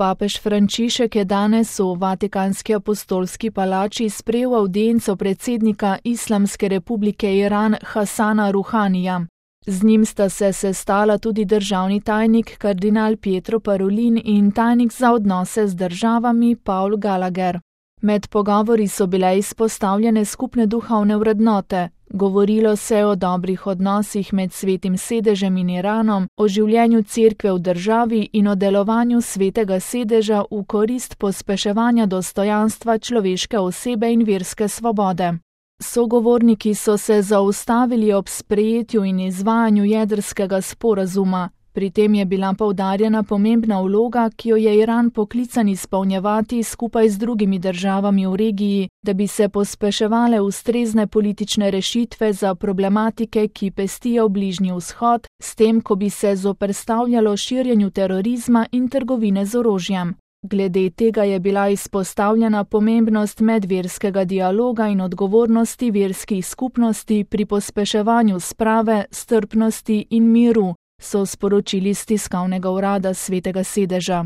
Papež Frančišek je danes v Vatikanski apostolski palači sprejel avdienco predsednika Islamske republike Iran Hasana Ruhanija. Z njim sta se sestala tudi državni tajnik kardinal Pietro Parolin in tajnik za odnose z državami Paul Gallagher. Med pogovori so bile izpostavljene skupne duhovne vrednote. Govorilo se je o dobrih odnosih med Svetim sedežem in Iranom, o življenju cerkve v državi in o delovanju Svetega sedeža v korist pospeševanja dostojanstva človeške osebe in verske svobode. Sogovorniki so se zaustavili ob sprejetju in izvajanju jedrskega sporazuma. Pri tem je bila poudarjena pomembna vloga, ki jo je Iran poklican izpolnjevati skupaj z drugimi državami v regiji, da bi se pospeševale ustrezne politične rešitve za problematike, ki pestijo Bližnji vzhod, s tem, ko bi se zoperstavljalo širjenju terorizma in trgovine z orožjem. Glede tega je bila izpostavljena pomembnost medverskega dialoga in odgovornosti verskih skupnosti pri pospeševanju sprave, strpnosti in miru, so sporočili s tiskovnega urada Svetega sedeža.